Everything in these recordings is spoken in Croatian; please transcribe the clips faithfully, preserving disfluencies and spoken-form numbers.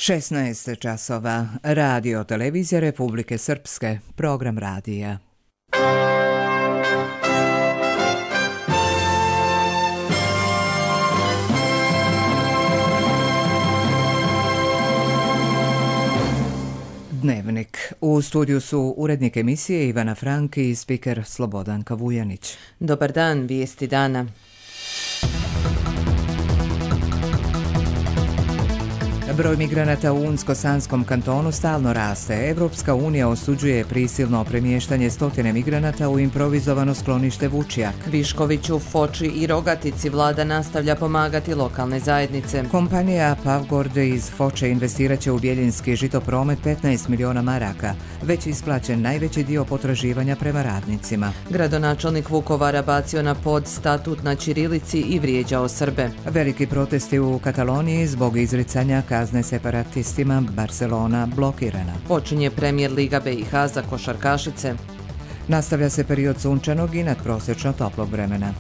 šesnaest časova. Radio televizija Republike Srpske. Program radija. Dnevnik. U studiju su urednik emisije Ivana Franki i spiker Slobodanka Vujanić. Dobar dan, vijesti dana. Broj migranata u Unsko-Sanskom kantonu stalno raste. Evropska unija osuđuje prisilno premještanje stotine migranata u improvizovano sklonište Vučjak. Viškoviću, Foči i Rogatici vlada nastavlja pomagati lokalne zajednice. Kompanija Pavgord iz Foče investirat će u Bjeljinski žitopromet petnaest miliona maraka. Već isplaćen najveći dio potraživanja prema radnicima. Gradonačelnik Vukovara bacio na pod statut na ćirilici i vrijeđao Srbe. Veliki protesti u Kataloniji zbog izricanja kazne separatistima, Barcelona blokirana. Počinje Premijer Liga B i H za košarkašice. Nastavlja se period sunčanog i nadprosječno toplog vremena.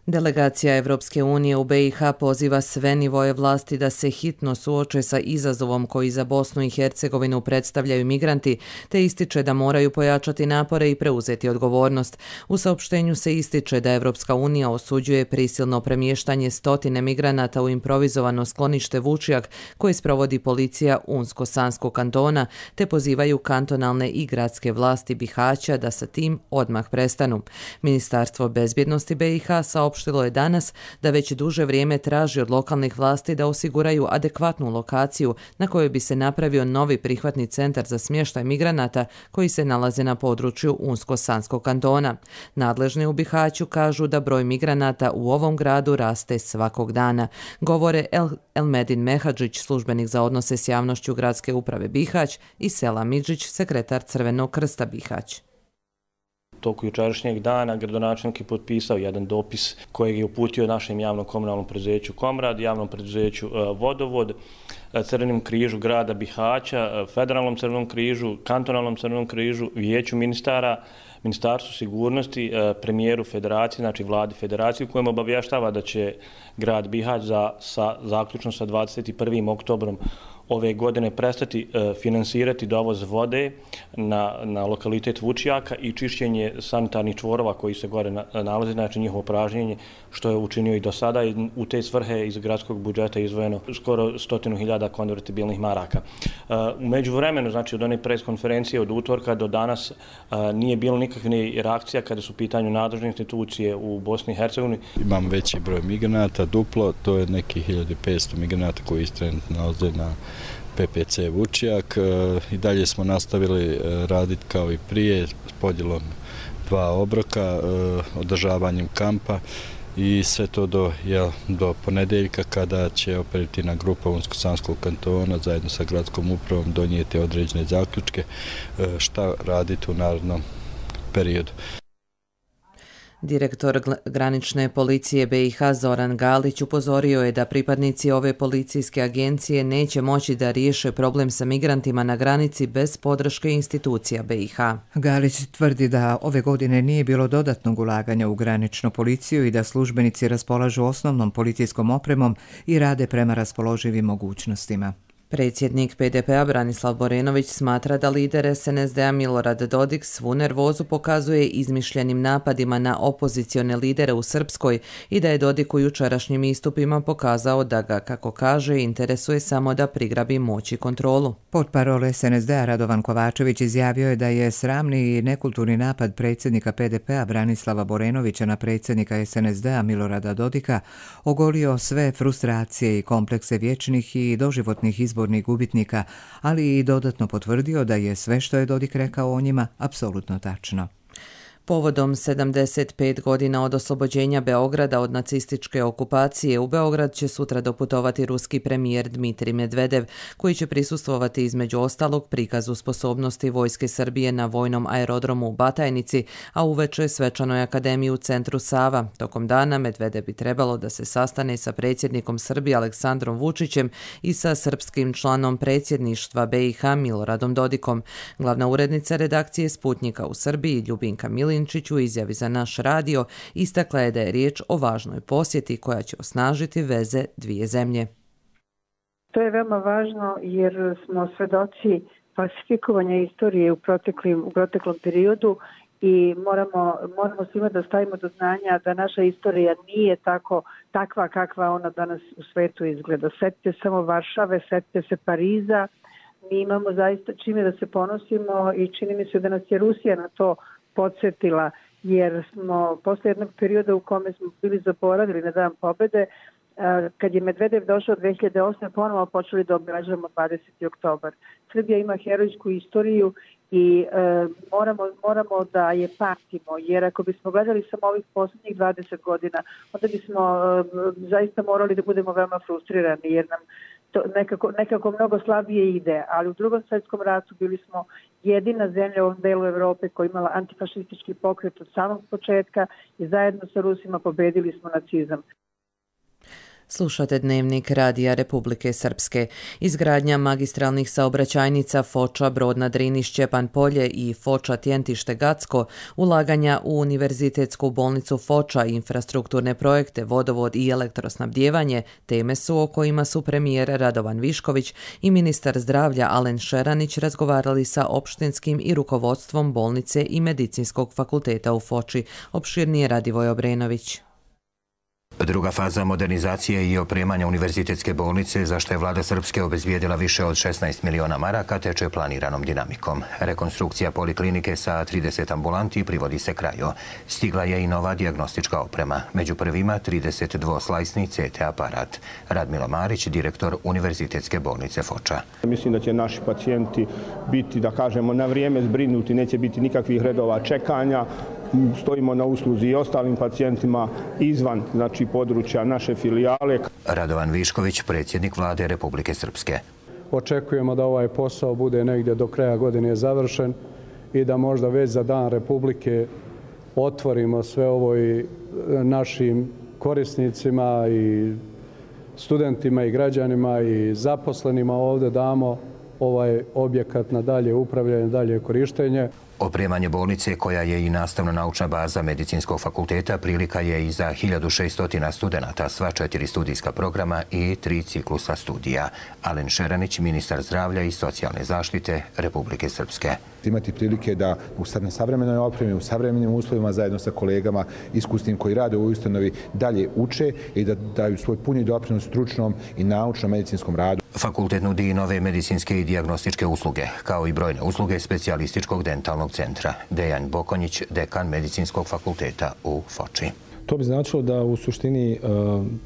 Delegacija Evropske unije u B i H poziva sve nivoje vlasti da se hitno suoče sa izazovom koji za Bosnu i Hercegovinu predstavljaju migranti, te ističe da moraju pojačati napore i preuzeti odgovornost. U saopštenju se ističe da Evropska unija osuđuje prisilno premještanje stotine migranata u improvizovano sklonište Vučjak koje sprovodi policija Unsko-Sanskog kantona, te pozivaju kantonalne i gradske vlasti Bihaća da sa tim odmah prestanu. Ministarstvo bezbjednosti B i H saopštilo Saopštilo je danas da već duže vrijeme traži od lokalnih vlasti da osiguraju adekvatnu lokaciju na kojoj bi se napravio novi prihvatni centar za smještaj migranata koji se nalaze na području Unsko-Sanskog kantona. Nadležni u Bihaću kažu da broj migranata u ovom gradu raste svakog dana. Govore El, Elmedin Mehadžić, službenik za odnose s javnošću gradske uprave Bihać, i Sela Midžić, sekretar Crvenog krsta Bihać. Toku jučerašnjeg dana gradonačelnik je potpisao jedan dopis kojeg je uputio našem javnom komunalnom preduzeću Komrad, javnom preduzeću Vodovod, Crvenom križu grada Bihaća, Federalnom crvenom križu, kantonalnom crvenom križu, vijeću ministara, Ministarstvu sigurnosti, premijeru federacije, znači vladi federacije, u kojem obavještava da će grad Bihać za, sa, zaključno sa dvadeset prvim oktobrom ove godine prestati e, finansirati dovoz vode na, na lokalitet Vučjaka i čišćenje sanitarnih čvorova koji se gore na, nalaze, znači njihovo pražnjenje, što je učinio i do sada. I u te svrhe iz gradskog budžeta izdvojeno skoro stotinu hiljada konvertibilnih maraka. E, u međuvremenu, znači od one pres konferencije od utorka do danas e, nije bilo nikakve reakcija kada su u pitanju nadležne institucije u Bosni i Hercegovini. Imam veći broj migranata, duplo, to je neki hiljadu petsto migranata koji trenutno nalaze na P P C Vučjak. I dalje smo nastavili raditi kao i prije s podjelom dva obroka, održavanjem kampa i sve to do, jel, do ponedeljka kada će operativna grupa Unsko-Sanskog kantona zajedno sa gradskom upravom donijeti određene zaključke šta raditi u narednom periodu. Direktor granične policije B i H Zoran Galić upozorio je da pripadnici ove policijske agencije neće moći da riješe problem sa migrantima na granici bez podrške institucija B i H. Galić tvrdi da ove godine nije bilo dodatnog ulaganja u graničnu policiju i da službenici raspolažu osnovnom policijskom opremom i rade prema raspoloživim mogućnostima. Predsjednik P D P-a Branislav Borenović smatra da lider S N S D-a Milorad Dodik svu nervozu pokazuje izmišljenim napadima na opozicione lidere u Srpskoj i da je Dodik u jučerašnjim istupima pokazao da ga, kako kaže, interesuje samo da prigrabi moć i kontrolu. Portparol S N S D-a Radovan Kovačević izjavio je da je sramni i nekulturni napad predsjednika P D P-a Branislava Borenovića na predsjednika S N S D-a Milorada Dodika ogolio sve frustracije i komplekse vječnih i doživotnih izbornih gubitnika, ali i dodatno potvrdio da je sve što je Dodik rekao o njima apsolutno tačno. Povodom sedamdeset pet godina od oslobođenja Beograda od nacističke okupacije, u Beograd će sutra doputovati ruski premijer Dmitrij Medvedev, koji će prisustvovati između ostalog prikazu sposobnosti vojske Srbije na vojnom aerodromu u Batajnici, a uveče svečanoj akademiji u centru Sava. Tokom dana Medvedev bi trebalo da se sastane sa predsjednikom Srbije Aleksandrom Vučićem i sa srpskim članom predsjedništva B i H Miloradom Dodikom. Glavna urednica redakcije Sputnjika u Srbiji Ljubinka Milin Milinčić u izjavi za naš radio istakla je da je riječ o važnoj posjeti koja će osnažiti veze dvije zemlje. To je veoma važno jer smo svedoci falsifikovanja istorije u, u proteklom periodu i moramo, moramo svima da stavimo do znanja da naša istorija nije tako takva kakva ona danas u svetu izgleda. Setite samo Varšave, setite se Pariza, mi imamo zaista čime da se ponosimo i čini mi se da nas je Rusija na to podsjetila, jer smo posle jednog perioda u kome smo bili zaboravili na Dan pobede, kad je Medvedev došao dve hiljade osme ponovo počeli da obražavamo dvadeseti oktobar. Srbija ima herojsku istoriju i e, moramo, moramo da je pamtimo, jer ako bismo gledali samo ovih posljednjih dvadeset godina, onda bismo e, zaista morali da budemo veoma frustrirani, jer nam to nekako, nekako mnogo slabije ide, ali u Drugom svjetskom ratu bili smo jedina zemlja u ovom delu Evrope koja imala antifašistički pokret od samog početka i zajedno sa Rusima pobedili smo nacizam. Slušate Dnevnik Radija Republike Srpske. Izgradnja magistralnih saobraćajnica Foča, Brodna, Drini, Šćepan Polje i Foča, Tjentište, Gacko, ulaganja u Univerzitetsku bolnicu Foča, infrastrukturne projekte, vodovod i elektrosnabdijevanje, teme su o kojima su premijer Radovan Višković i ministar zdravlja Alen Šeranić razgovarali sa opštinskim i rukovodstvom bolnice i medicinskog fakulteta u Foči. Opširnije Radivoj Obrenović. Druga faza modernizacije i opremanja univerzitetske bolnice, za što je vlada Srpske obezbijedila više od šesnaest miliona maraka, teče planiranom dinamikom. Rekonstrukcija poliklinike sa trideset ambulanti privodi se kraju. Stigla je i nova dijagnostička oprema. Među prvima trideset dvoslajsni C T aparat. Radmilo Marić, direktor Univerzitetske bolnice Foča. Mislim da će naši pacijenti biti, da kažemo, na vrijeme zbrinuti, neće biti nikakvih redova čekanja. Stojimo na usluzi i ostalim pacijentima izvan, znači, područja naše filijale. Radovan Višković, predsjednik vlade Republike Srpske. Očekujemo da ovaj posao bude negdje do kraja godine završen i da možda već za Dan Republike otvorimo sve ovo i našim korisnicima i studentima i građanima i zaposlenima ovdje damo ovaj objekat na dalje upravljanje, dalje korištenje. Opremanje bolnice, koja je i nastavno-naučna baza medicinskog fakulteta, prilika je i za hiljadu šesto studenata, sva četiri studijska programa i tri ciklusa studija. Alen Šeranić, ministar zdravlja i socijalne zaštite Republike Srpske. Imati prilike da u savremenoj opremi, u savremenim uslovima zajedno sa kolegama iskusnim koji rade u ustanovi dalje uče i da daju svoj puni doprinos stručnom i naučnom medicinskom radu. Fakultet nudi i nove medicinske i dijagnostičke usluge, kao i brojne usluge specijalističkog dentalnog centra. Dejan Bokonjić, dekan medicinskog fakulteta u Foči. To bi značilo da u suštini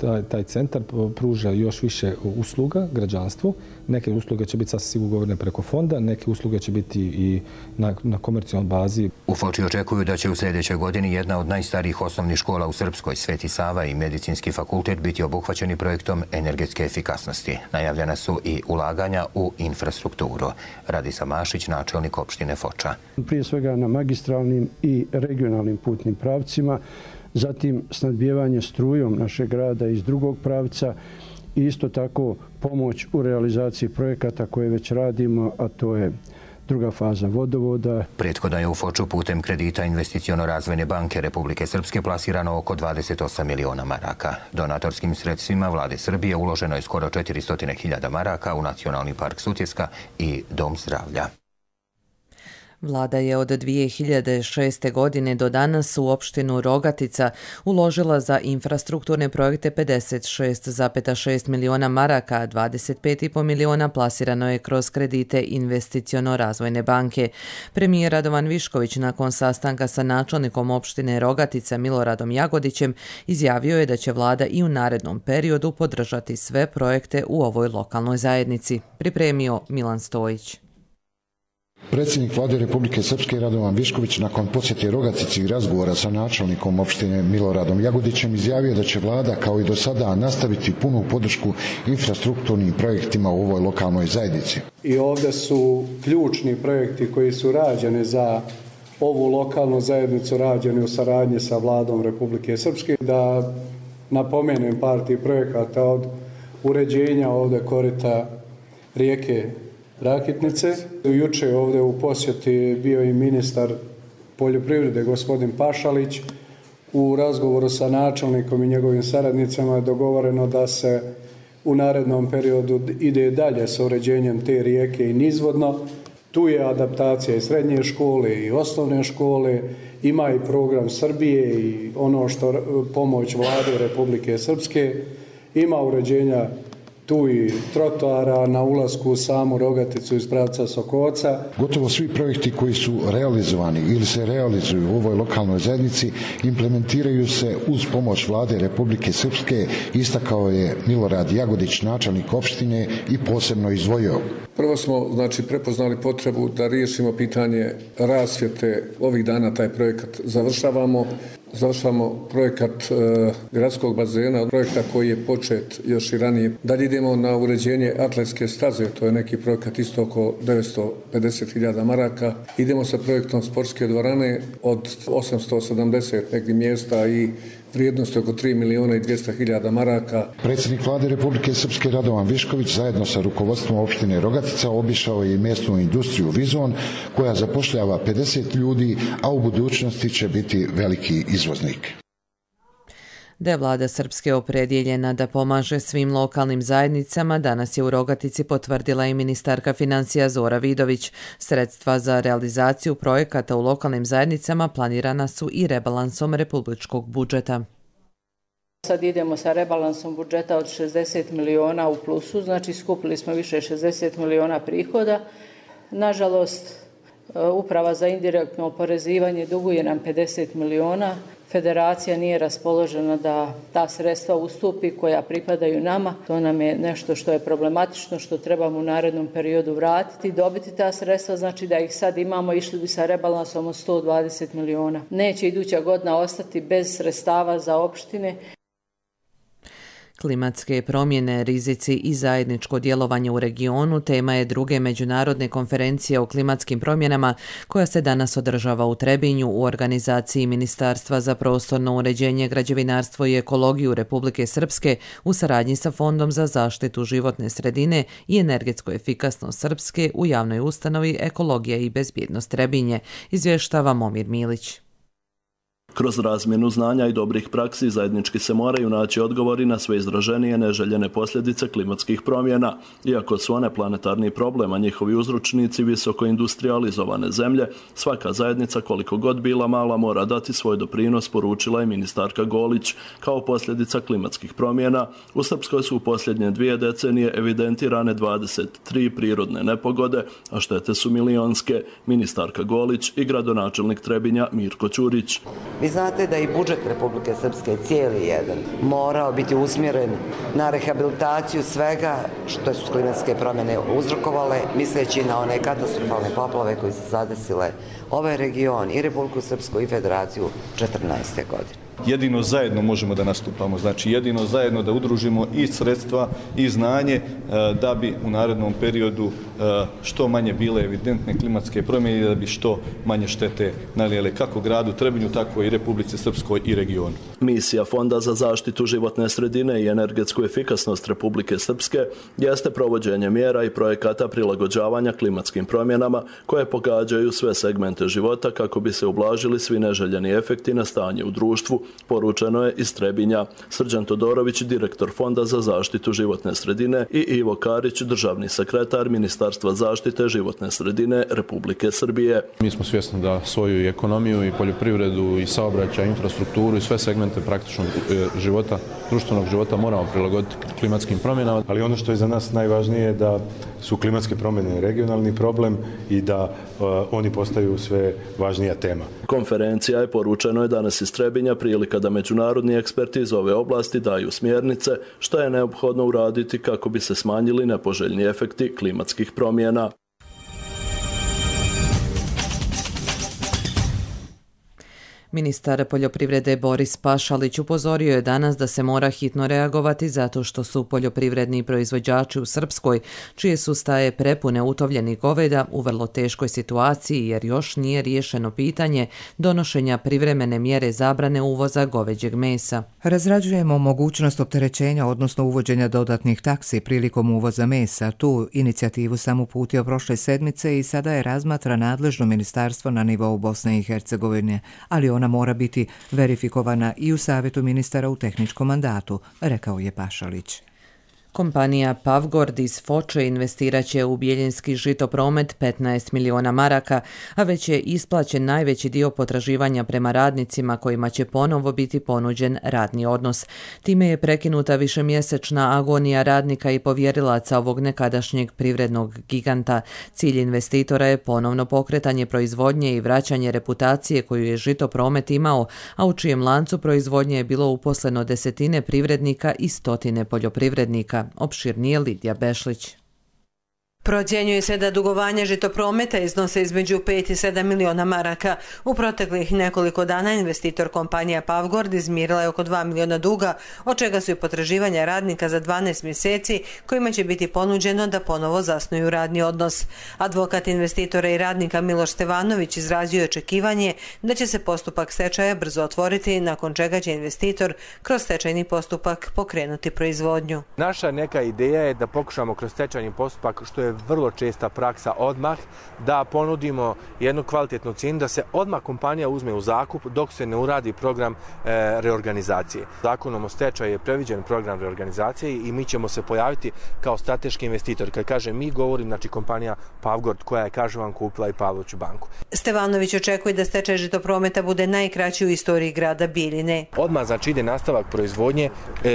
taj, taj centar pruža još više usluga građanstvu. Neke usluge će biti sasvim sigurno ugovorene preko fonda, neke usluge će biti i na, na komercijalnoj bazi. U Foči očekuju da će u sljedećoj godini jedna od najstarijih osnovnih škola u Srpskoj, Sveti Sava i medicinski fakultet, biti obuhvaćeni projektom energetske efikasnosti. Najavljena su i ulaganja u infrastrukturu. Radisa Mašić, načelnik opštine Foča. Prije svega na magistralnim i regionalnim putnim pravcima, zatim snadbijevanje strujom našeg grada iz drugog pravca i isto tako pomoć u realizaciji projekata koje već radimo, a to je druga faza vodovoda. Prethodno je u Foču putem kredita Investiciono-razvojne banke Republike Srpske plasirano oko dvadeset osam miliona maraka. Donatorskim sredstvima vlade Srbije uloženo je skoro četiristo hiljada maraka u Nacionalni park Sutjeska i Dom zdravlja. Vlada je od dvije hiljade šeste. godine do danas u opštinu Rogatica uložila za infrastrukturne projekte pedeset šest zarez šest miliona maraka, a dvadeset pet zarez pet miliona plasirano je kroz kredite Investiciono-razvojne banke. Premijer Radovan Višković nakon sastanka sa načelnikom opštine Rogatica Miloradom Jagodićem izjavio je da će vlada i u narednom periodu podržati sve projekte u ovoj lokalnoj zajednici. Pripremio Milan Stojić. Predsjednik vlade Republike Srpske Radovan Višković nakon posjete Rogatici i razgovora sa načelnikom opštine Miloradom Jagodićem izjavio da će vlada kao i do sada nastaviti punu podršku infrastrukturnim projektima u ovoj lokalnoj zajednici. I ovdje su ključni projekti koji su rađeni za ovu lokalnu zajednicu, rađeni u saradnji sa vladom Republike Srpske. Da napomenem par tih projekata od uređenja ovdje korita rijeke Rakitnice. Juče ovdje u posjeti bio i ministar poljoprivrede gospodin Pašalić. U razgovoru sa načelnikom i njegovim saradnicama je dogovoreno da se u narednom periodu ide dalje sa uređenjem te rijeke i nizvodno. Tu je adaptacija i srednje škole i osnovne škole, ima i program Srbije i ono što pomoć Vlade Republike Srpske, ima uređenja tu i trotoara na ulasku u samu Rogaticu iz pravca Sokoca. Gotovo svi projekti koji su realizovani ili se realizuju u ovoj lokalnoj zajednici implementiraju se uz pomoć Vlade Republike Srpske, istakao je Milorad Jagodić, načelnik opštine, i posebno izdvojio. Prvo smo znači prepoznali potrebu da riješimo pitanje rasvjete. Ovih dana taj projekat završavamo. Završavamo projekat e, gradskog bazena, projekta koji je počet još i ranije. Dalje idemo na uređenje atletske staze, to je neki projekat isto oko devetsto pedeset hiljada maraka. Idemo sa projektom sportske dvorane od osamsto sedamdeset negdje mjesta i vrijednosti oko tri miliona i dvjesto hiljada maraka. Predsjednik Vlade Republike Srpske Radovan Višković zajedno sa rukovodstvom opštine Rogatica obišao je mjesnu industriju Vizon, koja zapošljava pedeset ljudi, a u budućnosti će biti veliki izvoznik. Da je vlada Srpske opredjeljena da pomaže svim lokalnim zajednicama, danas je u Rogatici potvrdila i ministarka financija Zora Vidović. Sredstva za realizaciju projekata u lokalnim zajednicama planirana su i rebalansom republičkog budžeta. Sad idemo sa rebalansom budžeta od šezdeset miliona u plusu, znači skupili smo više šezdeset miliona prihoda. Nažalost, Uprava za indirektno oporezivanje duguje nam pedeset miliona. Federacija nije raspoložena da ta sredstva ustupi koja pripadaju nama. To nam je nešto što je problematično, što trebamo u narednom periodu vratiti, dobiti ta sredstva, znači da ih sad imamo, išli bi sa rebalansom od sto dvadeset miliona. Neće iduća godina ostati bez sredstava za opštine. Klimatske promjene, rizici i zajedničko djelovanje u regionu tema je druge međunarodne konferencije o klimatskim promjenama koja se danas održava u Trebinju u organizaciji Ministarstva za prostorno uređenje, građevinarstvo i ekologiju Republike Srpske u saradnji sa Fondom za zaštitu životne sredine i energetsku efikasnost Srpske u javnoj ustanovi Ekologija i bezbjednost Trebinje, izvještava Momir Milić. Kroz razmjenu znanja i dobrih praksi zajednički se moraju naći odgovori na sve izraženije neželjene posljedice klimatskih promjena. Iako su one planetarni problem, a njihovi uzročnici visoko industrializovane zemlje, svaka zajednica, koliko god bila mala, mora dati svoj doprinos, poručila je ministarka Golić. Kao posljedica klimatskih promjena, u Srpskoj su u posljednje dvije decenije evidentirane dvadeset tri prirodne nepogode, a štete su milionske. Ministarka Golić i gradonačelnik Trebinja Mirko Ćurić. Vi znate da i budžet Republike Srpske cijeli jedan morao biti usmjeren na rehabilitaciju svega što su klimatske promjene uzrokovale, misleći na one katastrofalne poplave koje su zadesile ovaj region i Republiku Srpsku i Federaciju četrnaeste godine. Jedino zajedno možemo da nastupamo, znači jedino zajedno da udružimo i sredstva i znanje da bi u narednom periodu što manje bile evidentne klimatske promjene i da bi što manje štete nanijele kako gradu Trebinju, tako i Republici Srpskoj i regionu. Misija Fonda za zaštitu životne sredine i energetsku efikasnost Republike Srpske jeste provođenje mjera i projekata prilagođavanja klimatskim promjenama koje pogađaju sve segmente života kako bi se ublažili svi neželjeni efekti na stanje u društvu, poručeno je iz Trebinja. Srđan Todorović, direktor Fonda za zaštitu životne sredine, i Ivo Karić, državni sekretar Ministarstva zaštite životne sredine Republike Srbije. Mi smo svjesni da svoju ekonomiju i poljoprivredu i saobraćaj, infrastrukturu i sve segmente praktičnog života, društvenog života moramo prilagoditi klimatskim promjenama. Ali ono što je za nas najvažnije je da su klimatske promjene regionalni problem i da uh, oni postaju sve važnija tema. Konferencija je, poručeno je danas iz Trebinja, prilika da međunarodni eksperti iz ove oblasti daju smjernice što je neophodno uraditi kako bi se smanjili nepoželjni efekti klimatskih promjena. Ministar poljoprivrede Boris Pašalić upozorio je danas da se mora hitno reagovati zato što su poljoprivredni proizvođači u Srpskoj, čije su staje prepune utovljenih goveda, u vrlo teškoj situaciji jer još nije riješeno pitanje donošenja privremene mjere zabrane uvoza goveđeg mesa. Razrađujemo mogućnost opterećenja, odnosno uvođenja dodatnih taksi prilikom uvoza mesa. Tu inicijativu sam uputio prošle sedmice i sada je razmatra nadležno ministarstvo na nivou Bosne i Hercegovine, ali ona mora biti verifikovana i u Savjetu ministara u tehničkom mandatu, rekao je Pašalić. Kompanija Pavgord iz Foče investirat će u Bijeljinski žitopromet petnaest miliona maraka, a već je isplaćen najveći dio potraživanja prema radnicima kojima će ponovo biti ponuđen radni odnos. Time je prekinuta višemjesečna agonija radnika i povjerilaca ovog nekadašnjeg privrednog giganta. Cilj investitora je ponovno pokretanje proizvodnje i vraćanje reputacije koju je žitopromet imao, a u čijem lancu proizvodnje je bilo uposleno desetine privrednika i stotine poljoprivrednika. Opširnije Lidija Bešlić. Procjenjuje se da dugovanja žitoprometa iznose između pet i sedam miliona maraka. U proteklih nekoliko dana investitor kompanija Pavgord izmirila je oko dva miliona duga, od čega su i potraživanja radnika za dvanaest mjeseci, kojima će biti ponuđeno da ponovo zasnuju radni odnos. Advokat investitora i radnika Miloš Stevanović izrazio je očekivanje da će se postupak stečaja brzo otvoriti, nakon čega će investitor kroz stečajni postupak pokrenuti proizvodnju. Naša neka ideja je da pokušamo kroz stečajni postupak, što je vrlo česta praksa, odmah da ponudimo jednu kvalitetnu cijenu, da se odmah kompanija uzme u zakup dok se ne uradi program e, reorganizacije. Zakonom o stečaju je previđen program reorganizacije i mi ćemo se pojaviti kao strateški investitor. Kad kažem mi, govorim znači kompanija Pavgord koja je, kažem vam, kupila i Pavloviću banku. Stevanović očekuje da stečaj žitoprometa bude najkraći u istoriji grada Bijeljine. Odmah znači ide nastavak proizvodnje e,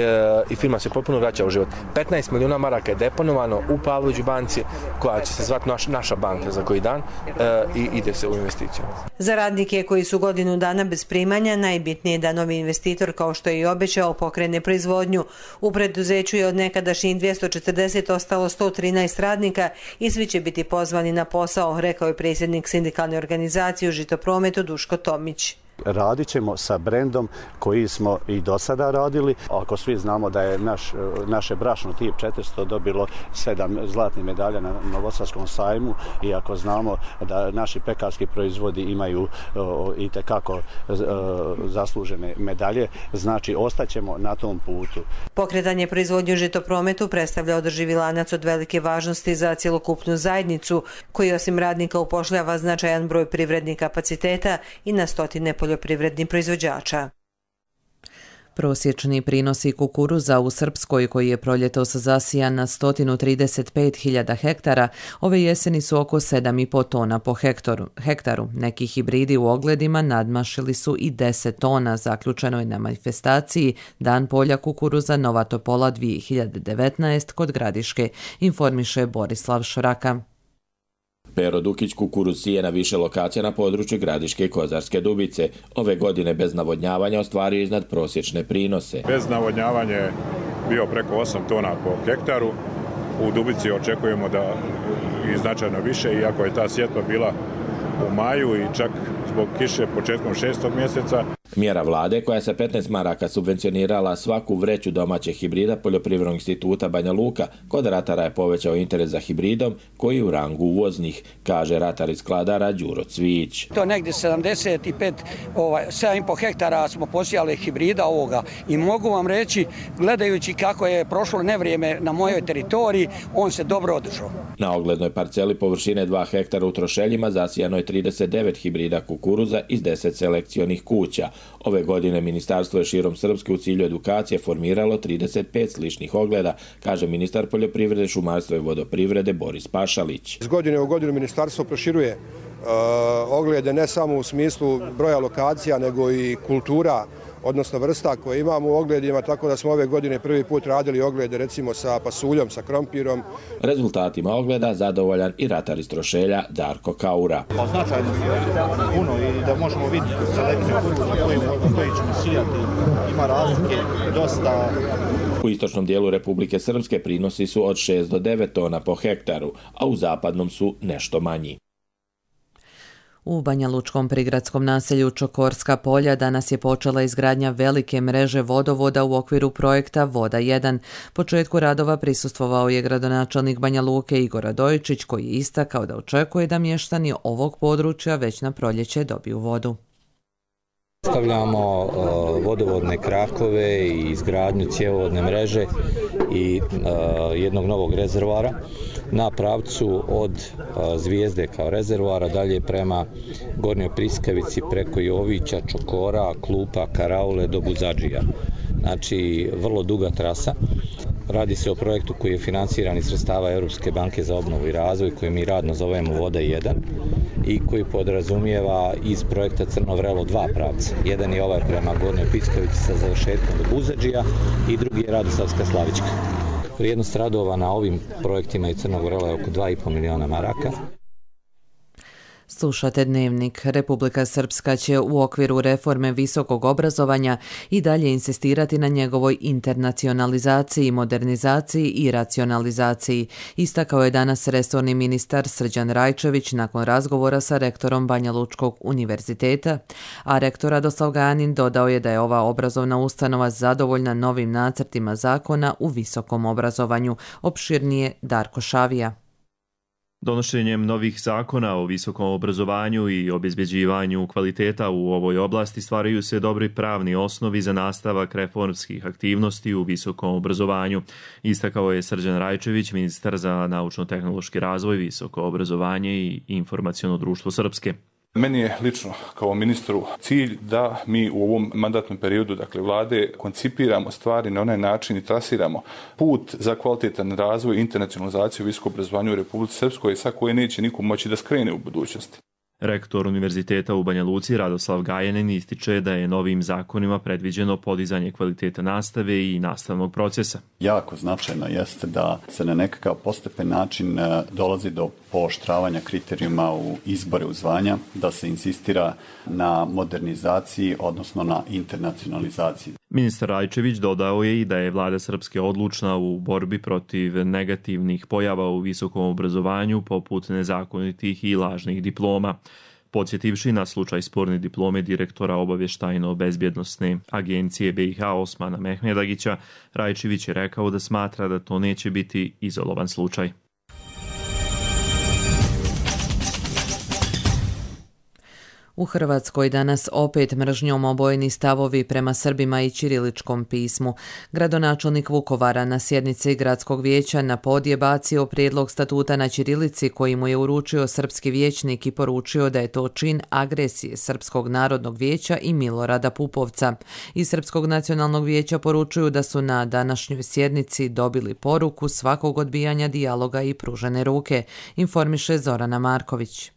i firma se potpuno vraća u život. petnaest miliona maraka je deponovano u Pavloviću banci, koja će se zvati naš, naša banka za koji dan e, i ide se u investiciju. Za radnike koji su godinu dana bez primanja, najbitnije je da novi investitor, kao što je i obećao, pokrene proizvodnju. U preduzeću je od nekadašnjih dvjesto četrdeset ostalo sto trinaest radnika i svi će biti pozvani na posao, rekao je predsjednik sindikalne organizacije u žitoprometu Duško Tomić. Radit ćemo sa brendom koji smo i do sada radili. Ako svi znamo da je naš, naše brašno tip četiristo dobilo sedam zlatnih medalja na Novosadskom sajmu i ako znamo da naši pekarski proizvodi imaju o, i tekako o, zaslužene medalje, znači ostaćemo na tom putu. Pokretanje proizvodnje u žitoprometu predstavlja održivi lanac od velike važnosti za cjelokupnu zajednicu, koji osim radnika upošljava značajan broj privrednih kapaciteta i na stotine poljoprivrednih proizvođača. Prosječni prinosi kukuruza u Srpskoj, koji je proljetos zasijan na sto trideset pet hiljada hektara, ove jeseni su oko sedam i po tona po hektaru. hektaru. Neki hibridi u ogledima nadmašili su i deset tona, zaključeno je na manifestaciji Dan polja kukuruza Nova Topola dvije hiljade devetnaest kod Gradiške, informiše Borislav Šraka. Pero Dukić kukuruz sije na više lokacija na području Gradiške i Kozarske Dubice. Ove godine bez navodnjavanja ostvario iznad prosječne prinose. Bez navodnjavanja je bio preko osam tona po hektaru. U Dubici očekujemo da i značajno više, iako je ta sjetva bila u maju i čak zbog kiše početkom šestog mjeseca. Mjera vlade koja se petnaest maraka subvencionirala svaku vreću domaćeg hibrida Poljoprivrednog instituta Banja Luka, kod ratara je povećao interes za hibridom koji je u rangu uvoznih, kaže ratar iz Skladara Đuro Cvić. To negdje sedamdeset pet, ovaj, sedam i po hektara smo posijali hibrida ovoga i mogu vam reći, gledajući kako je prošlo nevrijeme na mojoj teritoriji, on se dobro održao. Na oglednoj parceli površine dva hektara u Trošeljima zasijano je trideset devet hibrida kukuruza iz deset selekcionih kuća. Ove godine ministarstvo je širom Srpske u cilju edukacije formiralo trideset pet sličnih ogleda, kaže ministar poljoprivrede, šumarstva i vodoprivrede Boris Pašalić. Iz godine u godinu ministarstvo proširuje uh, oglede ne samo u smislu broja lokacija, nego i kultura, odnosno vrsta koje imamo u ogledima, tako da smo ove godine prvi put radili oglede recimo sa pasuljom, sa krompirom. Rezultatima ogleda zadovoljan i ratar iz Trošelja Darko Kaura. Pa značajno su puno i da možemo vidjeti selekciju koji ćemo sijati, ima razlike dosta. U istočnom dijelu Republike Srpske prinosi su od šest do devet tona po hektaru, a u zapadnom su nešto manji. U Banjalučkom prigradskom naselju Čokorska polja danas je počela izgradnja velike mreže vodovoda u okviru projekta Voda jedan. Početku radova prisustvovao je gradonačelnik Banja Luke Igor Radojičić, koji je istakao da očekuje da mještani ovog područja već na proljeće dobiju vodu. Stavljamo uh, vodovodne krakove i izgradnju cjevovodne mreže i uh, jednog novog rezervoara na pravcu od uh, Zvijezde kao rezervoara dalje prema Gornjoj Priskavici preko Jovića, Čokora, Klupa, Karaule do Buzadžija. Znači, vrlo duga trasa. Radi se o projektu koji je financiran iz sredstava Europske banke za obnovu i razvoj, koji mi radno zovemo Voda jedan i koji podrazumijeva iz projekta Crno vrelo dva pravca. Jedan je ovaj prema Gornjoj Piskavici sa završetkom do Buzadžija i drugi je Radoslavska Slavička. Vrijednost radova na ovim projektima i Crnog vrela je oko dva i pol miliona maraka. Slušate Dnevnik. Republika Srpska će u okviru reforme visokog obrazovanja i dalje insistirati na njegovoj internacionalizaciji, modernizaciji i racionalizaciji. Istakao je danas resorni ministar Srđan Rajčević nakon razgovora sa rektorom Banjalučkog univerziteta, a rektor Radoslav Ganin dodao je da je ova obrazovna ustanova zadovoljna novim nacrtima zakona u visokom obrazovanju. Opširnije Darko Šavija. Donošenjem novih zakona o visokom obrazovanju i obezbeđivanju kvaliteta u ovoj oblasti stvaraju se dobri pravni osnovi za nastavak reformskih aktivnosti u visokom obrazovanju, istakao je Srđan Rajčević, ministar za naučno-tehnološki razvoj, visoko obrazovanje i informaciono društvo Srpske. Meni je lično kao ministru cilj da mi u ovom mandatnom periodu, dakle vlade, koncipiramo stvari na onaj način i trasiramo put za kvalitetan razvoj i internacionalizaciju visokog obrazovanja u Republici Srpskoj, sa koje neće niko moći da skrene u budućnosti. Rektor Univerziteta u Banja Luci Radoslav Gajanin ističe da je novim zakonima predviđeno podizanje kvaliteta nastave i nastavnog procesa. Jako značajno jeste da se na nekakav postepen način dolazi do pooštravanja kriterijuma u izbore u zvanja, da se insistira na modernizaciji, odnosno na internacionalizaciji. Ministar Rajčević dodao je i da je vlada Srpske odlučna u borbi protiv negativnih pojava u visokom obrazovanju poput nezakonitih i lažnih diploma. Podsjetivši na slučaj sporne diplome direktora obavještajno-bezbjednosne agencije B i H Osmana Mehmedagića, Rajčević je rekao da smatra da to neće biti izolovan slučaj. U Hrvatskoj danas opet mržnjom obojeni stavovi prema Srbima i ćiriličkom pismu. Gradonačelnik Vukovara na sjednici gradskog vijeća na pod je bacio prijedlog statuta na ćirilici koji mu je uručio srpski vijećnik i poručio da je to čin agresije Srpskog narodnog vijeća i Milorada Pupovca. Iz Srpskog nacionalnog vijeća poručuju da su na današnjoj sjednici dobili poruku svakog odbijanja dijaloga i pružene ruke, informiše Zorana Marković.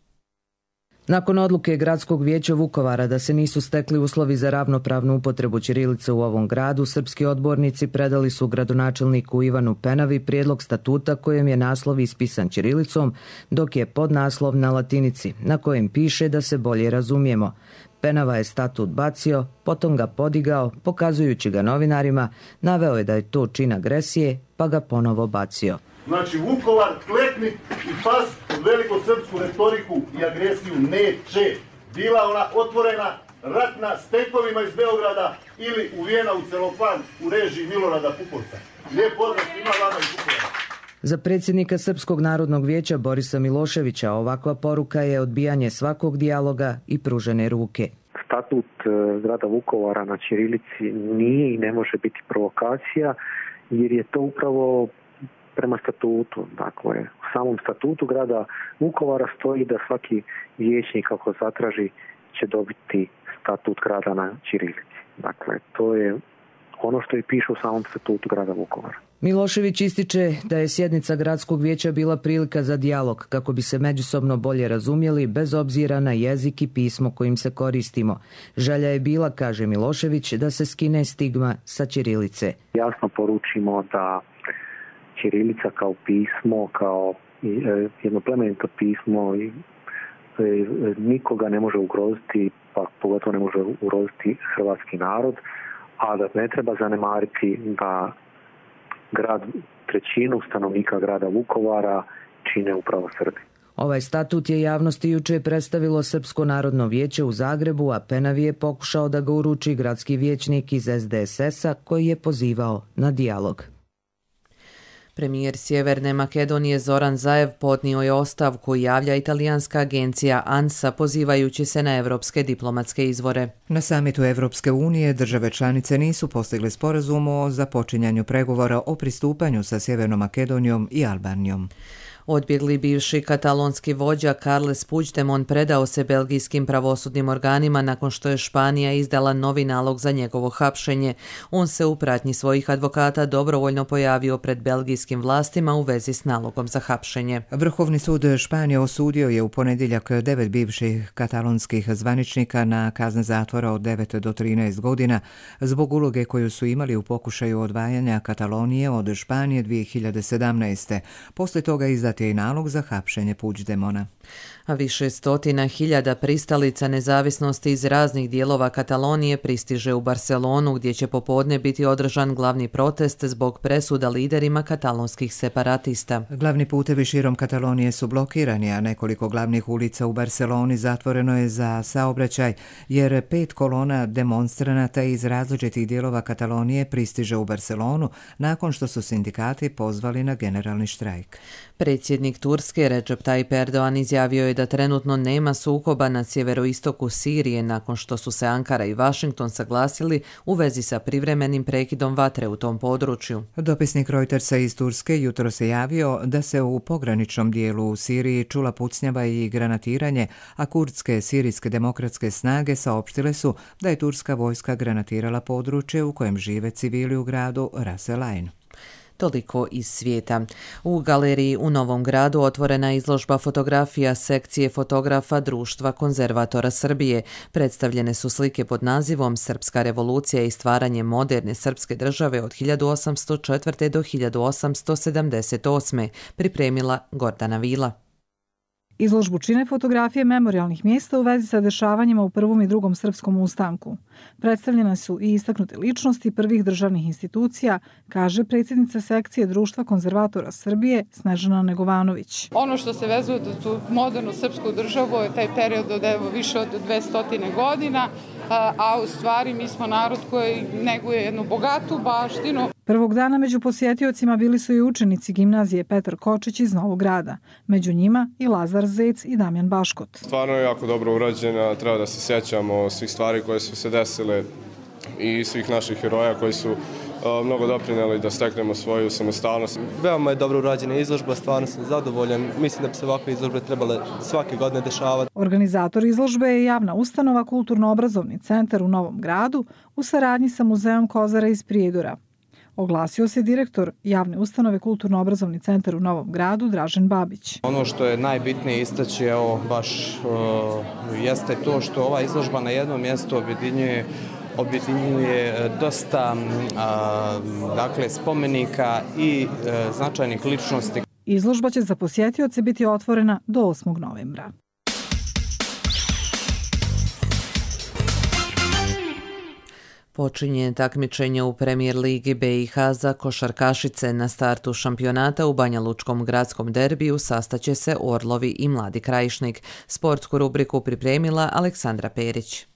Nakon odluke Gradskog vijeća Vukovara da se nisu stekli uslovi za ravnopravnu upotrebu ćirilice u ovom gradu, srpski odbornici predali su gradonačelniku Ivanu Penavi prijedlog statuta kojem je naslov ispisan ćirilicom, dok je podnaslov na latinici, na kojem piše da se bolje razumijemo. Penava je statut bacio, potom ga podigao, pokazujući ga novinarima, naveo je da je to čin agresije, pa ga ponovo bacio. Znači, Vukovar klekni i pas pod velikosrpsku retoriku i agresiju neće. Bila ona otvorena, ratna, s tenkovima iz Beograda ili uvijena u celofan u režiji Milorada Pupovca. Lijep pozdrav svima vama iz Vukovara. Za predsjednika Srpskog narodnog vijeća Borisa Miloševića ovakva poruka je odbijanje svakog dijaloga i pružene ruke. Statut grada Vukovara na ćirilici nije i ne može biti provokacija, jer je to upravo prema statutu. Dakle, u samom statutu grada Vukovara stoji da svaki vijećnik ako zatraži će dobiti statut grada na ćirilici. Dakle, to je ono što i piše u samom statutu grada Vukovara. Milošević ističe da je sjednica gradskog vijeća bila prilika za dijalog kako bi se međusobno bolje razumjeli bez obzira na jezik i pismo kojim se koristimo. Želja je bila, kaže Milošević, da se skine stigma sa ćirilice. Jasno poručimo da ćirilica kao pismo, kao jedno plemenito pismo nikoga ne može ugroziti, pa pogotovo ne može ugroziti hrvatski narod, a da ne treba zanemariti da grad, trećinu stanovnika grada Vukovara čine upravo Srbi. Ovaj statut je javnosti juče predstavilo Srpsko narodno vijeće u Zagrebu, a Penavi je pokušao da ga uruči gradski vijećnik iz S D S S-a koji je pozivao na dijalog. Premijer Sjeverne Makedonije Zoran Zaev podnio je ostavku, javlja italijanska agencija ANSA pozivajući se na evropske diplomatske izvore. Na samitu Evropske unije države članice nisu postigle sporazum o započinjanju pregovora o pristupanju sa Sjevernom Makedonijom i Albanijom. Odbjegli bivši katalonski vođa Carles Puigdemont predao se belgijskim pravosudnim organima nakon što je Španija izdala novi nalog za njegovo hapšenje. On se u pratnji svojih advokata dobrovoljno pojavio pred belgijskim vlastima u vezi s nalogom za hapšenje. Vrhovni sud Španije osudio je u ponedjeljak devet bivših katalonskih zvaničnika na kazne zatvora od devet do trinaest godina zbog uloge koju su imali u pokušaju odvajanja Katalonije od Španije dvije hiljade sedamnaeste. Poslije toga izdat je i nalog za hapšenje Puigdemona. A više stotina hiljada pristalica nezavisnosti iz raznih dijelova Katalonije pristiže u Barcelonu, gdje će popodne biti održan glavni protest zbog presuda liderima katalonskih separatista. Glavni putevi širom Katalonije su blokirani, a nekoliko glavnih ulica u Barceloni zatvoreno je za saobraćaj, jer pet kolona demonstranata iz različitih dijelova Katalonije pristiže u Barcelonu nakon što su sindikati pozvali na generalni štrajk. Predsjednik Turske Recep Tayyip Erdoğan izjavio je da trenutno nema sukoba na sjeveroistoku Sirije nakon što su se Ankara i Washington saglasili u vezi sa privremenim prekidom vatre u tom području. Dopisnik Reutersa iz Turske jutro se javio da se u pograničnom dijelu u Siriji čula pucnjava i granatiranje, a kurdske sirijske demokratske snage saopštile su da je turska vojska granatirala područje u kojem žive civili u gradu Ras El Ain. Toliko iz svijeta. U galeriji u Novom Gradu otvorena izložba fotografija sekcije fotografa Društva konzervatora Srbije. Predstavljene su slike pod nazivom Srpska revolucija i stvaranje moderne srpske države od hiljadu osamsto četvrte. do hiljadu osamsto sedamdeset osme. Pripremila Gordana Vila. Izložbu čine fotografije memorijalnih mjesta u vezi sa dešavanjima u prvom i drugom srpskom ustanku. Predstavljene su i istaknute ličnosti prvih državnih institucija, kaže predsjednica sekcije Društva konzervatora Srbije Snežana Negovanović. Ono što se vezuje za tu modernu srpsku državu je taj period od evo, više od dvesta godina, a u stvari mi smo narod koji neguje jednu bogatu baštinu. Prvog dana među posjetiocima bili su i učenici gimnazije Petar Kočić iz Novog Grada. Među njima i Lazar Zec i Damjan Baškot. Stvarno je jako dobro urađena, treba da se sjećamo svih stvari koje su se desile i svih naših heroja koji su uh, mnogo doprineli da steknemo svoju samostalnost. Veoma je dobro urađena izložba, stvarno sam zadovoljan. Mislim da bi se ovakve izložbe trebale svake godine dešavati. Organizator izložbe je javna ustanova Kulturno-obrazovni centar u Novom Gradu u saradnji sa Muzejom Kozara iz Prijedora. Oglasio se direktor javne ustanove Kulturno-obrazovni centar u Novom Gradu Dražen Babić. Ono što je najbitnije istaći, evo, baš uh, jeste to što ova izložba na jednom mjestu objedinjuje objedinjuje dosta uh, dakle, spomenika i uh, značajnih ličnosti. Izložba će za posjetioce biti otvorena do osmog novembra. Počinje takmičenje u Premier Ligi B i H za košarkašice. Na startu šampionata u Banja Lučkom gradskom derbiju sastaće se Orlovi i Mladi Krajišnik. Sportsku rubriku pripremila Aleksandra Perić.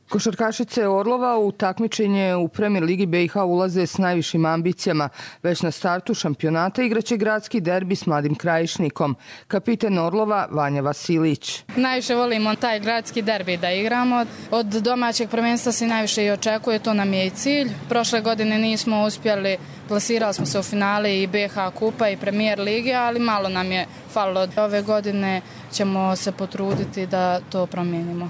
Košarkašice Orlova u takmičenje u Premier Ligi B i H ulaze s najvišim ambicijama. Već na startu šampionata igraće gradski derbi s Mladim Krajišnikom. Kapiten Orlova Vanja Vasilić. Najviše volimo taj gradski derbi da igramo. Od domaćeg prvenstva se najviše i očekuje, to nam je i cilj. Prošle godine nismo uspjeli, plasirali smo se u finale i B H kupa i Premier Lige, ali malo nam je falilo. Ove godine ćemo se potruditi da to promijenimo.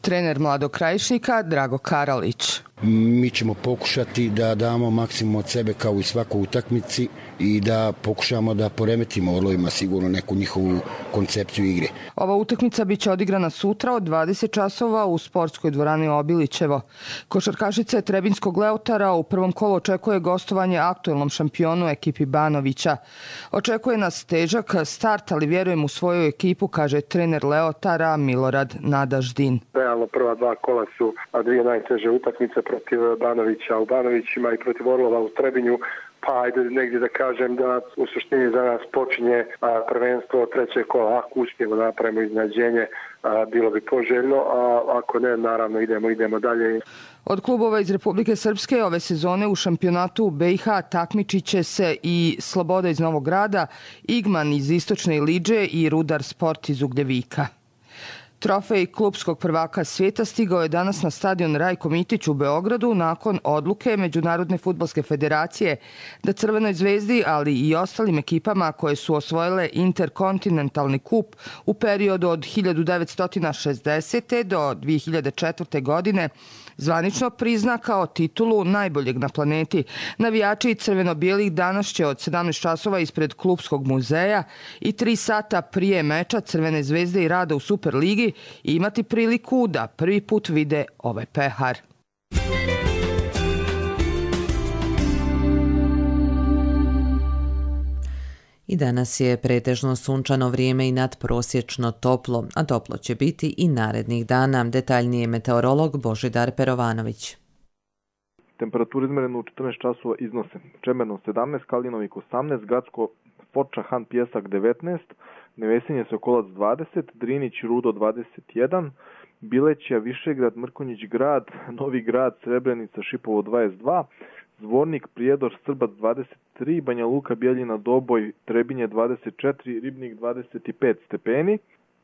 Trener Mladog Krajišnika Drago Karalić. Mi ćemo pokušati da damo maksimum od sebe kao i svakoj utakmici i da pokušamo da poremetimo Orlovima sigurno neku njihovu koncepciju igre. Ova utakmica biće odigrana sutra od dvadeset časova u sportskoj dvorani Obilićevo. Košarkašice Trebinskog Leotara u prvom kolu očekuje gostovanje aktuelnom šampionu ekipi Banovića. Očekuje nas težak start, ali vjerujem u svoju ekipu, kaže trener Leotara Milorad Nadaždin. Realno prva dva kola su dvije najteže utakmice protiv Banovića u Banovićima i protiv Orlova u Trebinju. pa ajde negdje da kažem da u suštini za nas počinje a, prvenstvo trećeg kola. Ako uspijemo napravimo iznenađenje, a, bilo bi poželjno, a ako ne, naravno idemo, idemo dalje. Od klubova iz Republike Srpske ove sezone u šampionatu u B i H takmičit će se i Sloboda iz Novog Grada, Igman iz Istočne Iliđe i Rudar Sport iz Ugljevika. Trofej klupskog prvaka svijeta stigao je danas na stadion Rajko Mitić u Beogradu nakon odluke Međunarodne fudbalske federacije da Crvenoj zvezdi, ali i ostalim ekipama koje su osvojile interkontinentalni kup u periodu od hiljadu devetsto šezdesete. do dvije hiljade četvrte. godine zvanično prizna kao titulu najboljeg na planeti. Navijači crveno-bijelih danas će od sedamnaest časova ispred klupskog muzeja i tri sata prije meča Crvene zvezde i Rada u Superligi imati priliku da prvi put vide ovaj pehar. I danas je pretežno sunčano vrijeme i nadprosječno toplo, a toplo će biti i narednih dana. Detaljnije meteorolog Božidar Perovanović. Temperature izmerene u četrnaest časova iznose Čemerno sedamnaest, Kalinovik osamnaest, Gacko, Foča, Han Pjesak devetnaest, Nevesinje, Sokolac dvadeset, Drinić, Rudo dvadeset jedan, Bileća, Višegrad, Mrkonjić Grad, Novi Grad, Srebrenica, Šipovo dvadeset dva, Zvornik, Prijedor, Srbac dvadeset tri, Banja Luka, Bjeljina, Doboj, Trebinje dvadeset četiri, Ribnik dvadeset pet stepeni.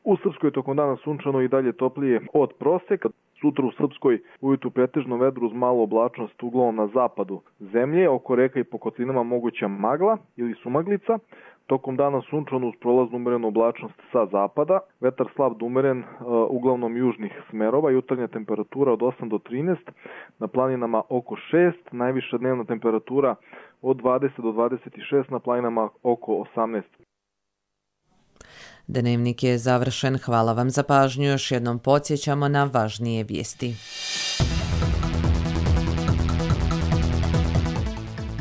U Srpskoj tokom dana sunčano i dalje toplije od proseka. Sutra u Srpskoj ujutru pretežno vedro uz malu oblačnost uglavnom na zapadu zemlje, oko reka i po kotlinama moguća magla ili sumaglica. Tokom dana sunčano uz prolaznu umerenu oblačnost sa zapada, vetar slab do umeren, uh, uglavnom južnih smerova, jutarnja temperatura od osam do trinaest, na planinama oko šest, najviša dnevna temperatura od dvadeset do dvadeset šest, na planinama oko osamnaest. Dnevnik je završen, hvala vam za pažnju, još jednom podsjećamo na važnije vijesti.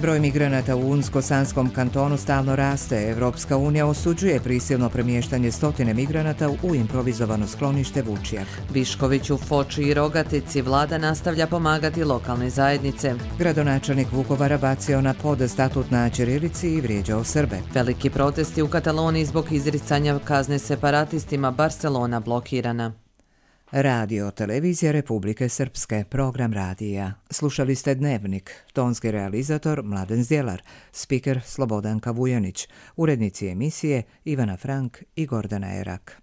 Broj migranata u Unsko-Sanskom kantonu stalno raste. Evropska unija osuđuje prisilno premještanje stotine migranata u improvizovano sklonište Vučjak. Viškoviću, Foči i Rogatici vlada nastavlja pomagati lokalne zajednice. Gradonačelnik Vukovara bacio na pod statut na ćirilici i vrijeđao Srbe. Veliki protesti u Kataloniji zbog izricanja kazne separatistima, Barcelona blokirana. Radio Televizija Republike Srpske, program radija. Slušali ste Dnevnik, tonski realizator Mladen Zdjelar, spiker Slobodanka Vujanić, urednici emisije Ivana Frank i Gordana Erak.